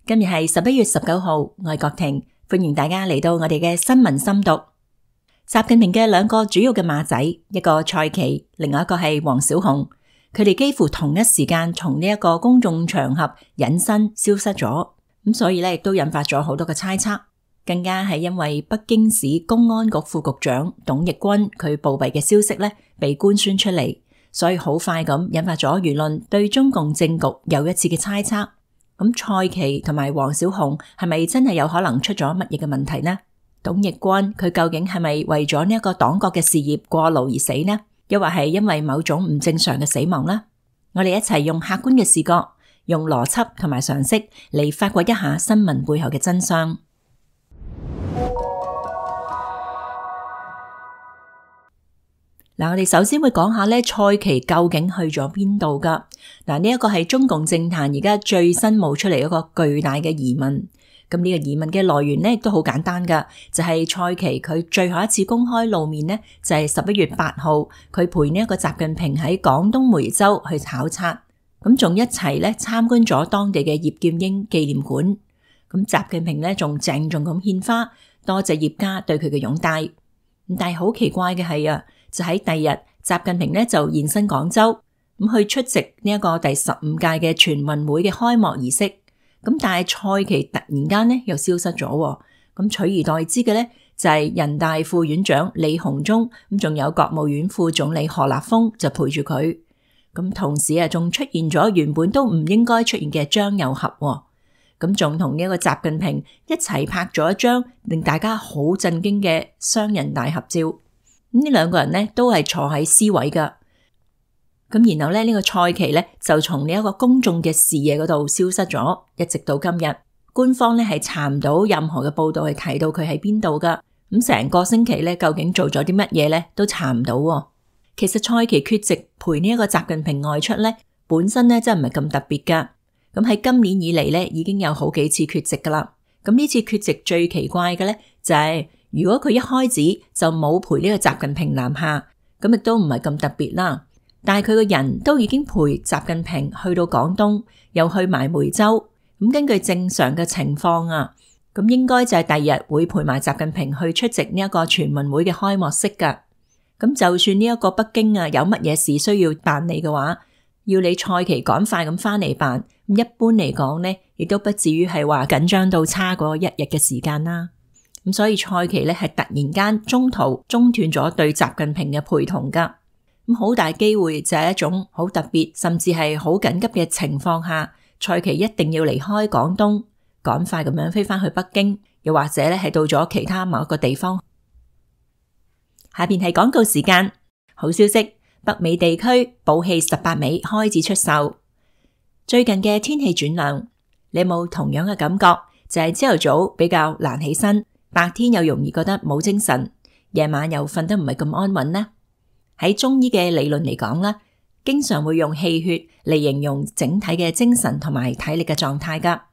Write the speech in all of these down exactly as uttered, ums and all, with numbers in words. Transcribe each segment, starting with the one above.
今日係十一月十九號，我係郭婷，歡迎大家嚟到我哋嘅新聞深讀。習近平嘅兩個主要嘅馬仔，一個蔡奇，另外一個係王小洪，佢哋幾乎同一時間從呢一個公眾場合隱身消失咗，咁所以咧亦都引發咗好多嘅猜測，更加係因為北京市公安局副局長董奕君佢暴斃嘅消息咧被官宣出嚟，所以好快咁引發咗輿論對中共政局又一次嘅猜測。咁蔡奇同埋王小洪係咪真係有可能出咗乜嘢嘅問題呢？董奕君佢究竟係咪為咗呢一個黨國嘅事業過勞而死呢？又或係因為某種唔正常嘅死亡呢？我哋一齊用客觀嘅視角，用邏輯同埋常識嚟發掘一下新聞背後嘅真相。嗱，我哋首先會講下咧，蔡奇究竟去咗邊度噶？嗱，呢一個係中共政壇而家最新冒出嚟一個巨大嘅疑問。咁呢個疑問嘅來源咧，亦都好簡單噶，就係蔡奇佢最後一次公開露面呢，就係十一月八號，佢陪呢一個習近平喺廣東梅州去考察，咁仲一齊咧參觀咗當地嘅葉劍英紀念館。咁習近平咧仲鄭重咁獻花，多謝葉家對佢嘅擁戴。咁但係好奇怪嘅係啊，就喺第二日，習近平咧就現身廣州，咁去出席呢一個第十五屆嘅全運會嘅開幕儀式。咁但係蔡奇突然間咧又消失咗，咁取而代之嘅咧就係人大副院長李鴻忠，咁仲有國務院副總理何立峰就陪住佢。咁同時啊，仲出現咗原本都唔應該出現嘅張又俠，咁仲同呢一個習近平一齊拍咗一張令大家好震驚嘅雙人大合照。咁呢兩個人咧都係坐喺 C 位噶。咁然後咧呢個蔡奇咧就從呢一個公眾嘅視野嗰度消失咗，一直到今日，官方咧係查唔到任何嘅報道係提到佢喺邊度噶。咁成個星期咧究竟做咗啲乜嘢咧都查唔到。其實蔡奇缺席陪呢一個習近平外出咧，本身咧真係唔係咁特別噶。咁喺今年以嚟咧已經有好幾次缺席噶啦。咁呢次缺席最奇怪嘅咧就係，如果佢一開始就冇陪呢個習近平南下，咁亦都唔係咁特別啦。但係佢個人都已經陪習近平去到廣東，又去埋梅州。咁根據正常嘅情況啊，咁應該就係第二日會陪埋習近平去出席呢一個全運會嘅開幕式噶。咁就算呢一個北京啊有乜嘢事需要辦理嘅話，要你蔡奇趕快咁翻嚟辦，咁一般嚟講呢，亦都不至於係話緊張到差過一日嘅時間啦。咁所以蔡奇咧係突然間中途中斷咗對習近平嘅陪同噶。咁好大機會就係一種好特別甚至係好緊急嘅情況下，蔡奇一定要離開廣東，趕快咁樣飛翻去北京，又或者咧係到咗其他某一個地方。下邊係廣告時間。好消息，北美地區寶氣十八味開始出售。最近嘅天氣轉涼，你有冇同樣嘅感覺？就係朝頭早比較難起身，白天又容易覺得冇精神，夜晚又瞓得唔係咁安穩呢？喺中醫嘅理論嚟講啦，經常會用氣血嚟形容整體嘅精神同埋體力嘅狀態噶。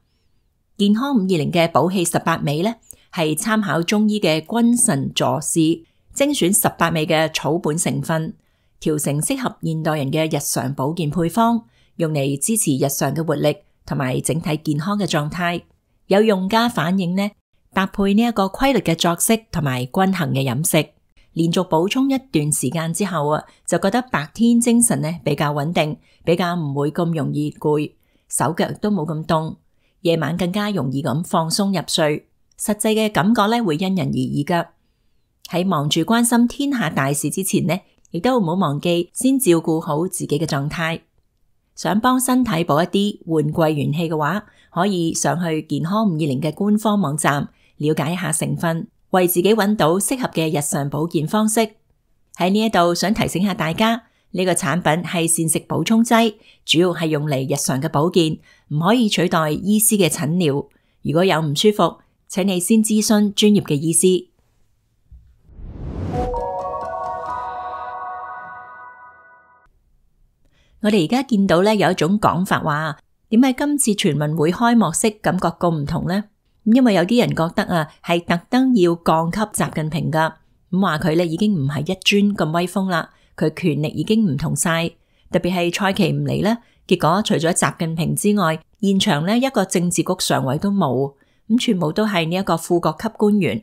健康五二零嘅寶氣十八味咧，係參考中醫嘅君臣佐使，精選十八味嘅草本成分，調成適合現代人嘅日常保健配方，用嚟支持日常嘅活力同埋整體健康嘅狀態。有用家反映呢，搭配呢一個規律嘅作息同埋均衡嘅飲食，連續補充一段時間之後啊，就覺得白天精神咧比較穩定，比較唔會咁容易攰，手腳都冇咁凍，夜晚更加容易咁放鬆入睡。實際嘅感覺咧會因人而異噶。喺忙住關心天下大事之前呢，亦都唔好忘記先照顧好自己嘅狀態。想幫身體補一啲換季元氣嘅話，可以上去健康五二零嘅官方網站了解一下成分，為自己揾到適合嘅日常保健方式。喺呢一度想提醒下大家，呢個產品係膳食補充劑，主要係用嚟日常嘅保健，唔可以取代醫師嘅診療。如果有唔舒服，請你先諮詢專業嘅醫師。我哋而家見到咧有一種講法話，點解今次全運會開幕式感覺咁唔同呢？因為有啲人覺得啊，係特登要降級習近平噶，咁話佢咧已經唔係一尊咁威風啦，佢權力已經唔同晒，特別係蔡奇唔嚟啦，結果除咗習近平之外，現場呢一個政治局常委都冇，咁全部都係呢一個副國級官員。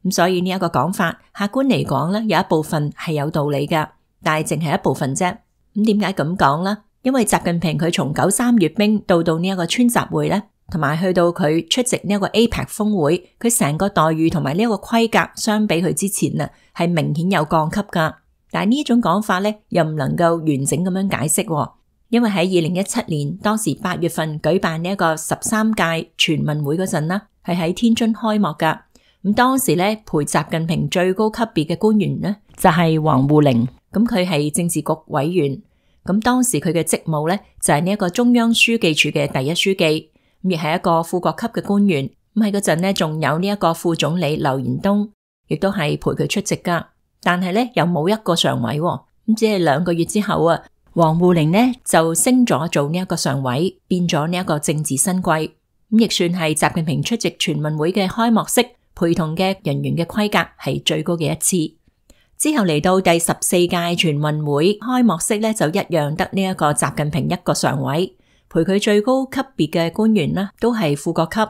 咁所以呢一個講法，客觀嚟講呢，有一部分係有道理噶，但係淨係一部分啫。咁點解咁講呢？因為習近平佢從九三閱兵到到呢一個川集會呢，同埋去到佢出席呢一個 A P E C 峰會，佢成個待遇同埋呢一個規格相比佢之前啊，係明顯有降級噶。但係呢一種講法呢，又唔能夠完整咁樣解釋，因為喺二零一七年當時八月份舉辦呢一個十三屆全運會嗰陣啦，係喺天津開幕噶。咁當時咧陪習近平最高級別嘅官員呢，就係王滬寧，咁佢係政治局委員，咁當時佢嘅職務咧就係呢一個中央書記處嘅第一書記，咁亦係一個副國級嘅官員。咁喺嗰陣咧仲有呢一個副總理劉延東，亦都係陪佢出席噶，但係咧又冇一個常委，咁只係兩個月之後啊，王滬寧呢就升咗做呢一個常委，變咗呢一個政治新貴，咁亦算係習近平出席全運會嘅開幕式陪同嘅人員嘅規格係最高嘅一次。之後嚟到第十四屆全運會開幕式咧，就一樣得呢一個習近平一個常委，陪佢最高級別嘅官員啦，都係副國級，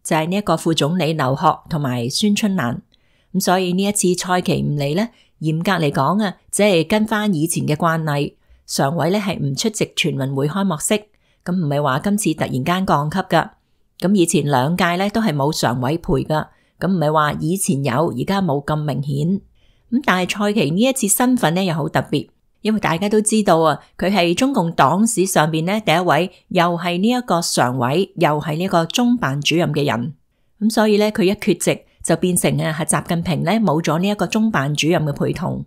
就係呢一個副總理劉鶴同埋孫春蘭。咁所以呢一次蔡奇唔嚟咧，嚴格嚟講啊，只係跟翻以前嘅慣例，常委咧係唔出席全運會開幕式，咁唔係話今次突然間降級噶。咁以前兩屆咧都係冇常委陪噶。咁唔係話以前有，而家冇咁明顯。咁但係蔡奇呢一次身份咧又好特別，因為大家都知道啊，佢係中共黨史上邊咧第一位又係呢一個常委，又係呢個中辦主任嘅人。咁所以咧佢一缺席就變成啊係習近平咧冇咗呢一個中辦主任嘅陪同。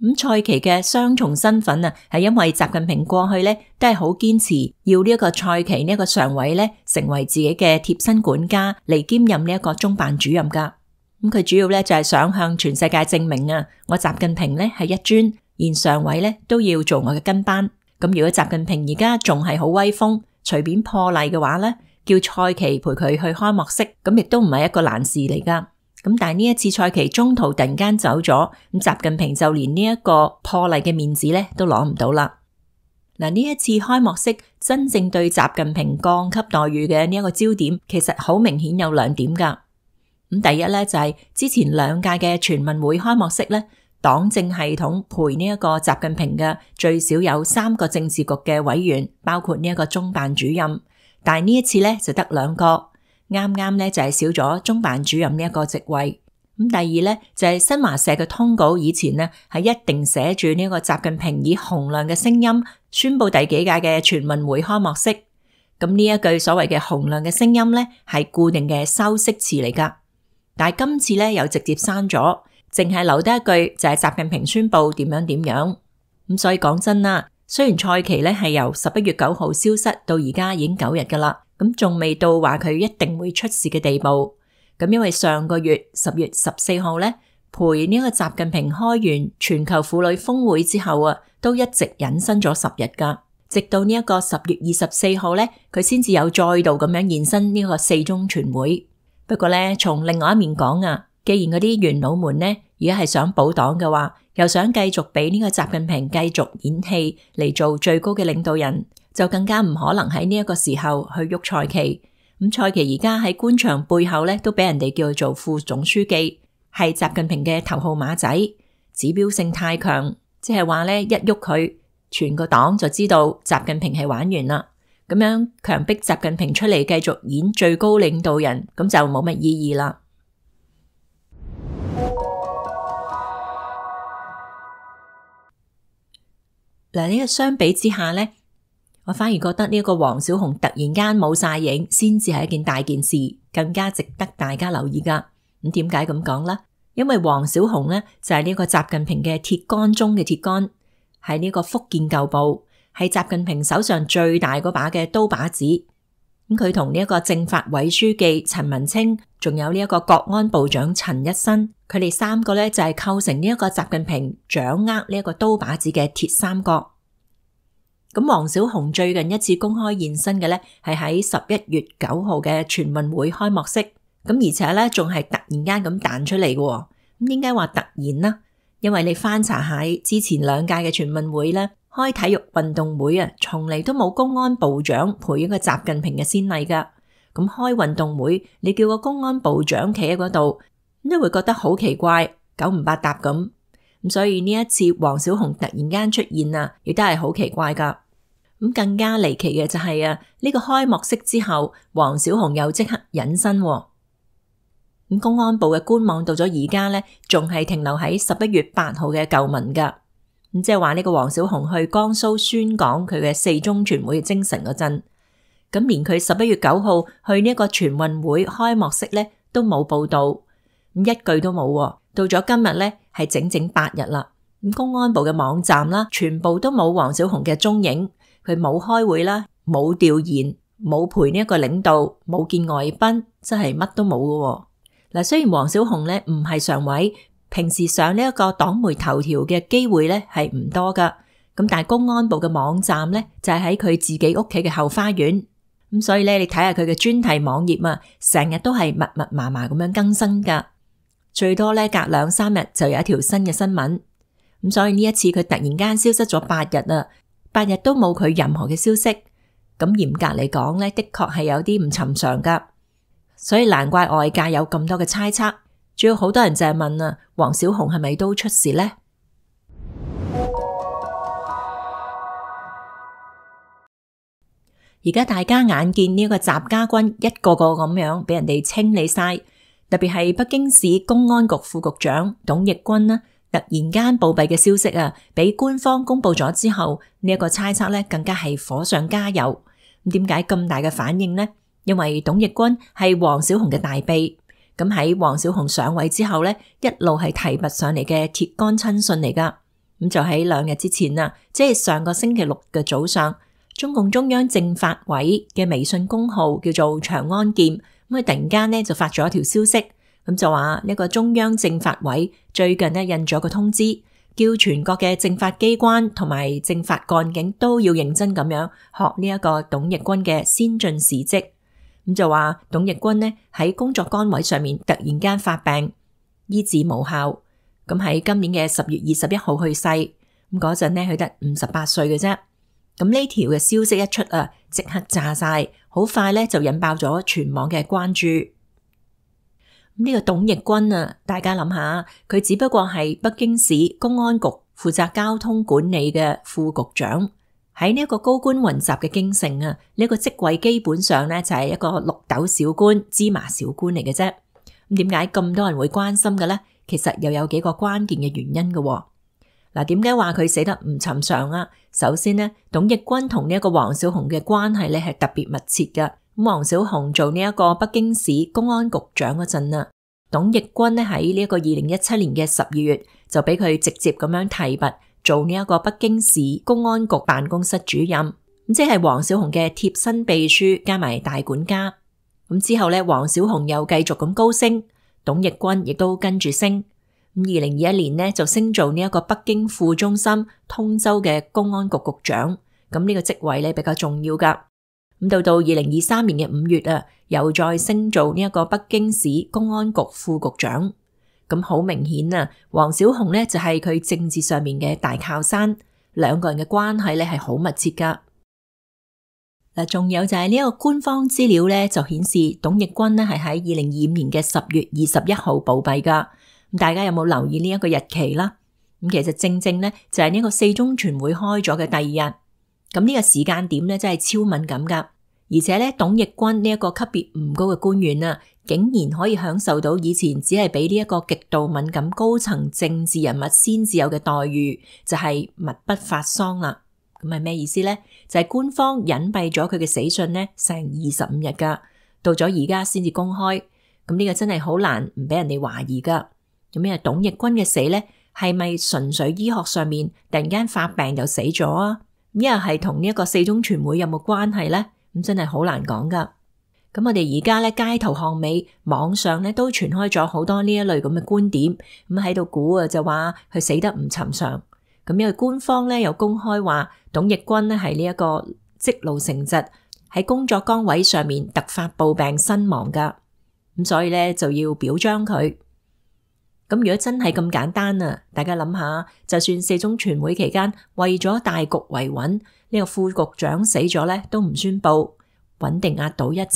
咁蔡奇嘅雙重身份啊，係因為習近平過去咧都係好堅持要呢一個蔡奇呢一個常委咧成為自己嘅貼身管家嚟兼任呢一個中辦主任噶。咁佢主要咧就係想向全世界證明啊，我習近平咧係一尊，連常委咧都要做我嘅跟班。咁如果習近平而家仲係好威風，隨便破例嘅話咧，叫蔡奇陪佢去開幕式，咁亦都唔係一個難事嚟噶。咁但係呢一次蔡奇中途突然間走咗，咁習近平就連呢一個破例嘅面子咧都攞唔到啦。嗱，呢一次開幕式真正對習近平降級待遇嘅呢一個焦點，其實好明顯有兩點噶。咁第一咧就係之前兩屆嘅全運會開幕式咧，黨政系統陪呢一個習近平嘅最少有三個政治局嘅委員，包括呢一個中辦主任，但係呢一次咧就得兩個。啱啱咧就係少咗中辦主任呢一個職位。咁第二咧就係新華社嘅通稿以前呢係一定寫住呢個習近平以洪亮嘅聲音宣布第幾屆嘅全運會開幕式。咁呢一句所謂嘅洪亮嘅聲音咧係固定嘅修飾詞嚟噶，但係今次咧又直接刪咗，淨係留低一句就係習近平宣布點樣點樣。咁所以講真啦，雖然蔡奇咧係由十一月九號消失到而家已經九日噶啦。咁仲未到話佢一定會出事嘅地步。咁因為上個月十月十四號咧，陪呢個習近平開完全球婦女峰會之後啊，都一直隱身咗十日噶，直到呢一個十月二十四號咧，佢先至有再度咁樣現身呢個四中全會。不過咧，從另外一面講啊，既然嗰啲元老們咧而家係想保黨嘅話，又想繼續俾呢個習近平繼續演戲嚟做最高嘅領導人，就更加唔可能喺呢一個時候去喐蔡奇。咁蔡奇而家喺官場背後咧，都俾人哋叫做副總書記，係習近平嘅頭號馬仔，指標性太強，即係話咧一喐佢，全個黨就知道習近平係玩完啦。咁樣強迫習近平出嚟繼續演最高領導人，咁就冇乜意義啦。嗱，呢個相比之下咧，我反而覺得呢一個王小洪突然間冇晒影，先至係一件大件事，更加值得大家留意噶。咁點解咁講呢？因為王小洪咧就係呢個習近平嘅鐵桿中嘅鐵桿，係呢個福建舊部，係習近平手上最大嗰把嘅刀把子。咁佢同呢一個政法委書記陳文清，仲有呢一個國安部長陳一新，佢哋三個咧就係構成呢一個習近平掌握呢一個刀把子嘅鐵三角。咁王小洪最近一次公開現身嘅咧，係喺十一月九號嘅全運會開幕式。咁而且咧仲係突然間咁彈出嚟嘅。咁點解話突然呢？因為你翻查下之前兩屆嘅全運會咧，開體育運動會啊，從嚟都冇公安部長陪一個習近平嘅先例噶。咁開運動會，你叫個公安部長企喺嗰度，咁都會覺得好奇怪，九唔搭八咁。咁所以呢一次王小洪突然間出現啊，亦都係好奇怪噶。咁更加離奇嘅就係啊，呢個開幕式之後，王小洪又即刻隱身。咁公安部嘅官網到咗而家咧，仲係停留喺十一月八號嘅舊文噶。咁即係話呢個王小洪去江蘇宣講佢嘅四中全會嘅精神嗰陣，咁連佢十一月九號去呢一個全運會開幕式咧都冇報道，咁一句都冇。到咗今日咧係整整八日啦。咁公安部嘅網站啦，全部都冇王小洪嘅蹤影，佢冇開會啦，冇調研，冇陪呢一個領導，冇見外賓，真係乜都冇㗎。嗱，雖然王小洪咧唔係常委，平時上呢一個黨媒頭條嘅機會咧係唔多噶，咁但係公安部嘅網站咧就係喺佢自己屋企嘅後花園，咁所以咧你睇下佢嘅專題網頁啊，成日都係密密麻麻咁樣更新噶，最多咧隔兩三日就有一條新嘅新聞，咁所以呢一次佢突然間消失咗八日啊，八日都冇佢任何嘅消息，咁嚴格嚟講咧的確係有啲唔尋常噶，所以難怪外界有咁多嘅猜測。主要好多人就係問啊，王小洪係咪都出事呢？而家大家眼見呢個習家軍一個個咁樣俾人哋清理晒，特別係北京市公安局副局長董奕君啦，突然間暴斃嘅消息啊，俾官方公布咗之後，呢、這、一個猜測咧更加係火上加油。咁點解咁大嘅反應呢？因為董奕君係王小洪嘅大秘。咁喺王小洪上位之後咧，一路係提拔上嚟嘅鐵桿親信嚟噶。咁就喺兩日之前啊，即係上個星期六嘅早上，中共中央政法委嘅微信公號叫做長安劍，咁佢突然間咧就發咗一條消息，咁就話呢個中央政法委最近咧印咗個通知，叫全國嘅政法機關同埋政法幹警都要認真咁樣學呢一個董奕君嘅先進事蹟。咁就話董奕君呢喺工作崗位上面突然間發病，醫治無效，咁喺今年嘅十月二十一號去世。咁嗰陣呢佢得五十八歲嘅啫。咁呢條嘅消息一出啊，即刻炸晒，好快咧就引爆咗全網嘅關注。咁呢個董奕君啊，大家諗下，佢只不過係北京市公安局負責交通管理嘅副局長。喺呢一個高官雲集嘅京城啊，呢個職位基本上咧就係一個綠豆小官、芝麻小官嚟嘅啫。咁點解咁多人會關心嘅咧？其實又有幾個關鍵嘅原因嘅。嗱，點解話佢死得唔尋常啊？首先呢，董奕君同呢一個王小洪嘅關係咧係特別密切嘅。咁王小洪做呢一個北京市公安局長嗰陣啊，董奕君咧喺呢一個二零一七年嘅十二月就俾佢直接咁樣提拔做呢一個北京市公安局辦公室主任，咁即係王小洪嘅貼身秘書加埋大管家。咁之後咧，王小洪又繼續咁高升，董奕君亦都跟住升。咁二零二一年呢，就升做呢一個北京副中心通州嘅公安局局長。咁呢個職位咧比較重要噶。咁到到二零二三年嘅五月啊，又再升做呢一個北京市公安局副局長。咁好明顯啊，王小洪咧就係佢政治上面嘅大靠山，兩個人嘅關係咧係好密切噶。嗱，仲有就係呢一個官方資料咧就顯示董奕君咧係喺二零二五年嘅十月二十一號暴斃噶。咁大家有冇留意呢一個日期啦？咁其實正正咧就係呢個四中全會開咗嘅第二日。咁呢個時間點咧真係超敏感噶，而且咧董奕君呢一個級別唔高嘅官員啊，竟然可以享受到以前只係俾呢一個極度敏感高層政治人物先至有嘅待遇，就係密不發喪啦。咁係咩意思咧？就係官方隱蔽咗佢嘅死訊咧成二十五日噶，到咗而家先至公開。咁呢個真係好難唔俾人哋懷疑噶。咁咩董奕君嘅死咧，係咪純粹醫學上面突然間發病就死咗啊？咁又係同呢一個四中全會有冇關係咧？咁真係好難講噶。咁我哋而家咧街頭巷尾網上咧都傳開咗好多呢一類咁嘅觀點，咁喺度估啊就話佢死得唔尋常。咁因為官方咧又公開話董奕君咧係呢一個積勞成疾，喺工作崗位上面突發暴病身亡噶。咁所以咧就要表彰佢。咁如果真係咁簡單啊，大家諗下，就算四中全會期間為咗大局維穩，呢個副局長死咗咧都唔宣布，穩定壓倒一切。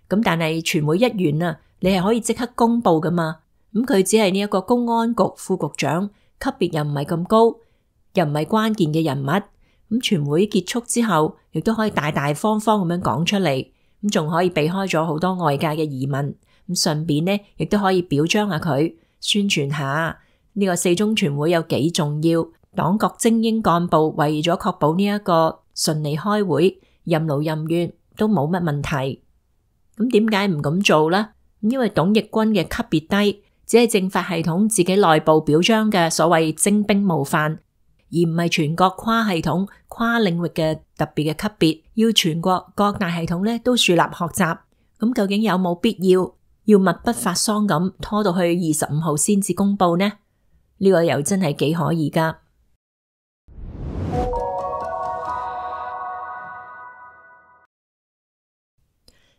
咁但係全會一完啊，你係可以即刻公布噶嘛？咁佢只係呢一個公安局副局長，級別又唔係咁高，又唔係關鍵嘅人物。咁全會結束之後，亦都可以大大方方咁樣講出嚟，咁仲可以避開咗好多外界嘅疑問。咁順便呢，亦都可以表彰下佢，宣傳下呢個四中全會有幾重要。黨國精英幹部為咗確保呢一個順利開會，任勞任怨都冇乜問題。咁點解唔咁做呢？因為董奕君嘅級別低，只係政法系統自己內部表彰嘅所謂精兵模範，而唔係全國跨系統、跨領域嘅特別嘅級別，要全國各大系統咧都樹立學習。咁究竟有冇必要要密不發喪咁拖到去二十五號先至公布呢？呢、呢個又真係幾可疑噶。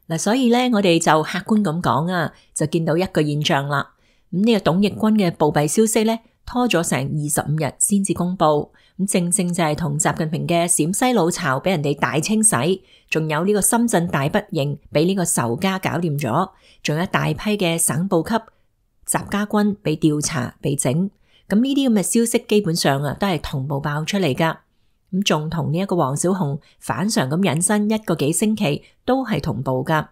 嗱，所以咧，我哋就客觀咁講啊，就見到一個現象啦。咁、這、呢個董奕君嘅暴斃消息咧，拖咗成二十五日先至公布。咁正正就係同習近平嘅陝西老巢俾人哋大清洗，仲有呢個深圳大本營俾呢個仇家搞掂咗，仲有一大批嘅省部級習家軍被調查被整。咁呢啲咁嘅消息基本上啊，都係同步爆出嚟噶。咁仲同呢一個王小洪反常咁引申一個幾星期，都係同步噶。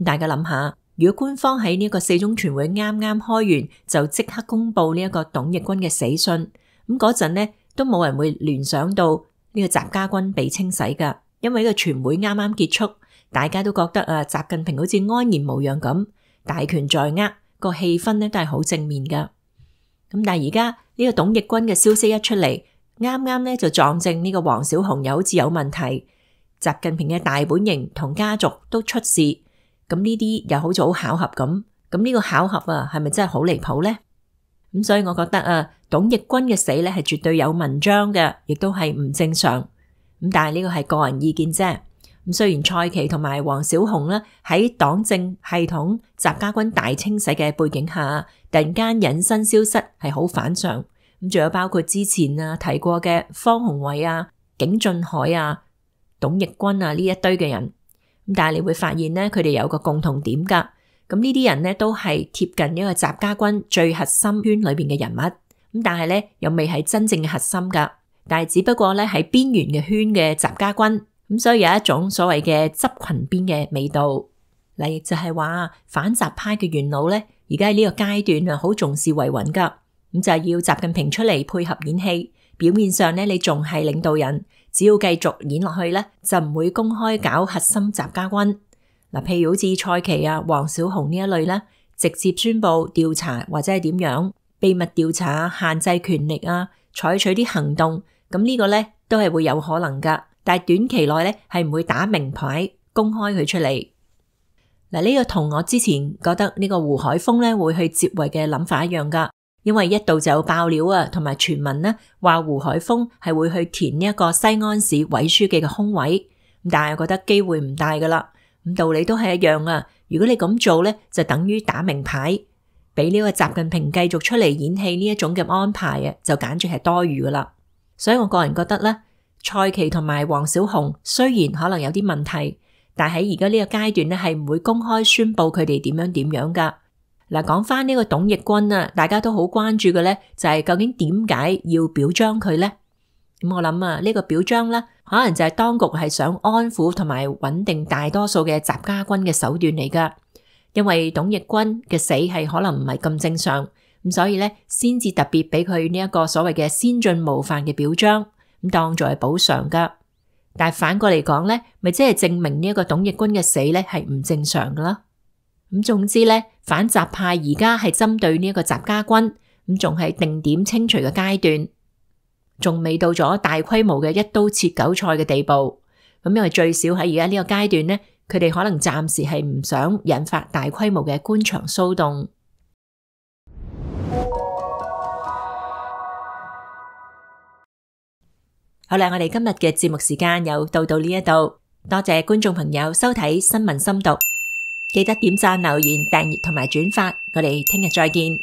大家諗下，如果官方喺呢一個四中全會啱啱開完就即刻公布呢一個董奕君嘅死訊，咁嗰陣呢都冇人會聯想到呢個習家軍被清洗噶，因為呢個全會啱啱結束，大家都覺得啊，習近平好似安然無恙咁，大權在握，個氣氛呢都係好正面噶。咁但係而家呢個董奕君嘅消息一出嚟，啱啱咧就撞正呢個王小洪又好似有問題，習近平嘅大本營同家族都出事，咁呢啲又好似好巧合咁，咁呢個巧合啊係咪真係好離譜呢？咁所以我覺得啊，董奕君嘅死咧係絕對有文章嘅，亦都係唔正常。咁但係呢個係個人意見啫。咁雖然蔡奇同埋王小洪咧喺黨政系統習家軍大清洗嘅背景下，突然間隱身消失係好反常。咁仲有包括之前啊提過嘅方鴻偉啊、景俊海啊、董奕君啊呢一堆嘅人，咁但係你會發現咧，佢哋有個共同點噶。咁呢啲人咧都係貼近呢個習家軍最核心圈裏邊嘅人物，咁但係咧又未係真正嘅核心噶，但係只不過咧喺邊緣嘅圈嘅習家軍，咁所以有一種所謂嘅執群邊嘅味道。嗱，亦就係話反習派嘅元老咧，而家喺呢個階段啊，好重視維穩噶。咁就係要習近平出嚟配合演戲，表面上咧你仲係領導人，只要繼續演落去咧，就唔會公開搞核心習家軍。嗱，譬如好似蔡奇啊、王小洪呢一類咧，直接宣布調查或者係點樣秘密調查、限制權力啊，採取啲行動，咁呢個咧都係會有可能噶。但係短期內咧係唔會打明牌公開佢出嚟。嗱，呢個同我之前覺得呢個胡海峰咧會去接位嘅諗法一樣噶。因為一度就有爆料啊，同埋傳聞呢話胡海峰係會去填呢一個西安市委書記嘅空位，但係覺得機會唔大噶啦。咁道理都係一樣啊。如果你咁做咧，就等於打明牌，俾呢個習近平繼續出嚟演戲呢一種嘅安排啊，就簡直係多餘噶啦。所以我個人覺得咧，蔡奇同埋王小洪雖然可能有啲問題，但係喺而家呢個階段咧係唔會公開宣布佢哋點樣點樣噶。嗱，講翻呢個董奕君啊，大家都好關注嘅咧，就係究竟點解要表彰佢咧？咁我諗啊，呢個表彰咧，可能就係當局係想安撫同埋穩定大多數嘅習家軍嘅手段嚟噶。因為董奕君嘅死係可能唔係咁正常，咁所以咧先至特別俾佢呢一個所謂嘅先進模範嘅表彰，咁當作係補償噶。但係反過嚟講咧，咪即係證明呢一個董奕君嘅死咧係唔正常噶啦。咁總之咧，反習派而家係針對呢一個習家軍，咁仲係定點清除嘅階段，仲未到咗大規模嘅一刀切韭菜嘅地步。咁因為最少喺而家呢個階段咧，佢哋可能暫時係唔想引發大規模嘅官場騷動。好啦，我哋今日嘅節目時間又到到呢一度，多謝觀眾朋友收睇新聞深讀。記得點讚、留言、訂閱同埋轉發，我哋聽日再見。